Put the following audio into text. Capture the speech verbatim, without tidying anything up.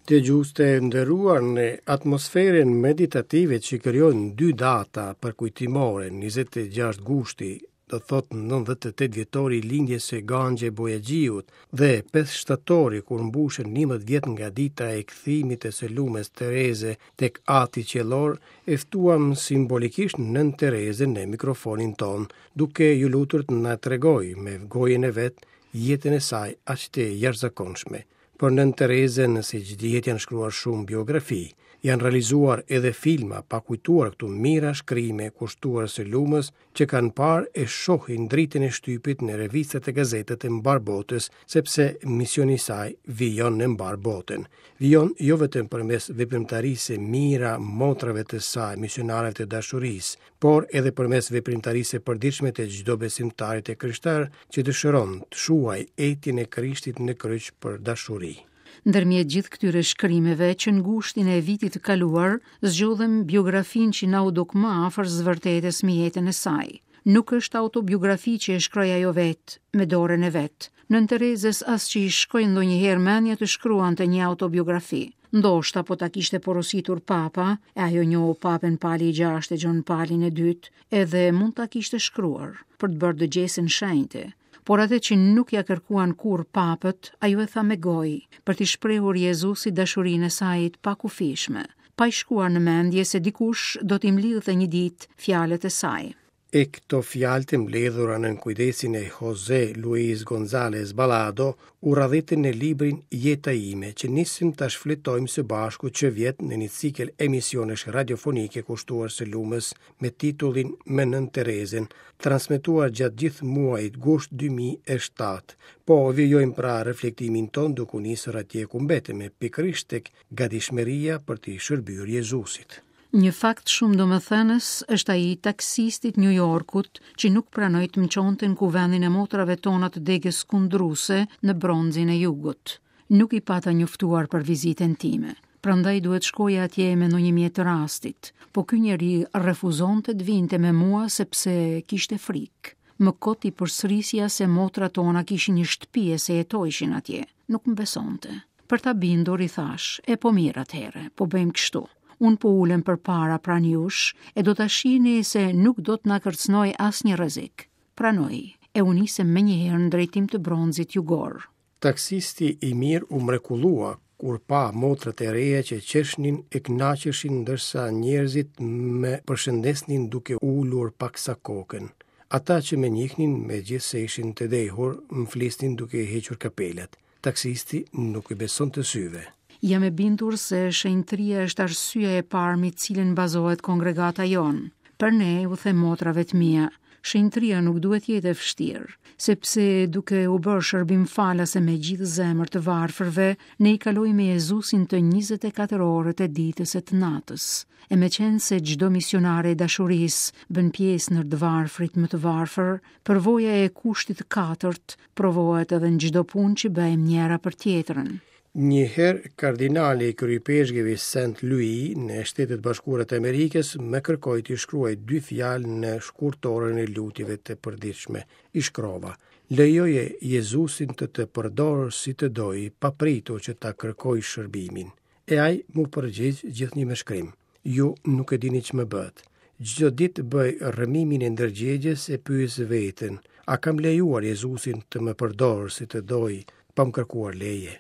Dëgjues të nderuar, në atmosferën meditative që krijojnë dy data përkujtimore, njëzet e gjashtë gushti, do thotë nëntëdhjetë e tetë vjetori i lindjes së Ganxhe Bojaxhiut, dhe pesë shtatori kur mbushen njëmbëdhjetë vjet nga dita e kthimit të së lumës Tereze tek Ati Qiellor, e ftuam simbolikisht Nënë Terezën në mikrofonin tonë, duke ju lutur të na tregojë me gojën e vet jetën e saj aq të jashtëzakonshme. Për Nënë Terezën, siç dihet, janë shkruar shumë biografi, janë realizuar edhe filma, pa kujtuar këtu mijëra shkrime kushtuar së lumës që kanë parë e shohin dritën e shtypit në revistat e gazetat e mbarë botës, sepse misioni i saj vijon në mbarë botën. Vijon jo vetëm përmes veprimtarisë së mijëra motrave të saj, misionareve të dashurisë, por edhe përmes veprimtarisë së përditshme të çdo besimtari të krishterë që dëshiron të shuajë etjen e Krishtit në kryq për dashuri. Ndërmjet gjithë këtyre shkrimeve që në gushtin e vitit të kaluar, zgjodhëm biografinë që na u duk më afër së vërtetës me jetën e saj. Nuk është autobiografi që e shkroi ajo vetë, me dorën e vet. Nënë Terezës as që i shkoi ndonjëherë mendja të shkruante një autobiografi. Ndoshta po ta kishte porositur papa, e ajo njohu papën Pali i gjashtë e Gjon Palin e dytë, edhe mund ta kishte shkruar për të bërë dëgjesën shenjte. Por atë që nuk ja kërkuan kurrë papët, ajo e tha me gojë, për t'i shprehur Jezusit dashurinë e saj të pakufishme, pa i shkuar në mendje se dikush do t'i mblidhte një ditë fjalët e saj. E këto fjalë të mbledhura nën kujdesin e Jose Luis González Balado u radhitën në librin Jeta ime, që nisim ta shfletojmë së bashku që vjet në një cikël emisionesh radiofonike kushtuar së lumës me titullin Me Nënë Terezën, transmetuar gjatë gjithë muajit gusht dy mijë e shtatë. Po vijojmë pra reflektimin ton duke u nisur atje ku mbetemi, pikërisht tek gatishmëria për t'i shërbyer Jezusit. Një fakt shumë domethënës është ai i taksistit New Yorkut që nuk pranoi të më çonte në kuvendin e motrave tona të degës kundruse në Bronzin e Jugut. Nuk i pata njoftuar për vizitën time, prandaj duhet shkoja atje me ndonjë mjet të rastit, po ky njeri refuzonte të vinte me mua sepse kishte frikë. Më kot i përsërisja se motrat tona kishin një shtëpi e se jetojshin atje. Nuk më besonte. Për ta bindur i thash, e po mirë atëherë, po bëjmë kështu. Unë po ulem përpara pranë jush e do ta shihni se nuk do të na kërcënoj asnjë rrezik. Pranoi, e u nisëm menjëherë në drejtim të Bronzit Jugor. Taksisti i mirë u mrekullua kur pa motrat e reja që qeshnin e kënaqeshin ndërsa njerëzit më përshëndesnin duke ulur paksa kokën. Ata që më njihnin, megjithse ishin të dehur, më flisnin duke hequr kapelat. Taksisti nuk i besonte syve. Jam e bindur se shenjtëria është arsyeja e parë mbi cilën bazohet kongregata jonë. Për ne, u them motrave të mia, shenjtëria nuk duhet jetë e vështirë, sepse duke u bërë shërbim falase me gjithë zemër të varfërve, ne i kalojmë me Jezusin të njëzet e katër orët e ditës e të natës. E me qenë se çdo misionare e dashurisë bën pjesë në të varfrit më të varfër, përvoja e kushtit të katërt provohet edhe në çdo punë që bëjmë njëra për tjetrën. Një herë kardinali i kryepeshkëvi Saint Louis në Shtetet Bashkuara të Amerikës më kërkoi të shkruaj dy fjalë në shkurtorën e lutjeve të përditshme. I shkrova: Lejoje Jezusin të të përdorë si të dojë, pa pritur që ta kërkoj shërbimin. E ai mu përgjigj gjithnjë me shkrim: Ju nuk e dini ç'më bëhet. Çdo ditë bëj rrëmimin e ndërgjegjes e pyes veten: a kam lejuar Jezusin të më përdorë si të dojë, pa më kërkuar leje?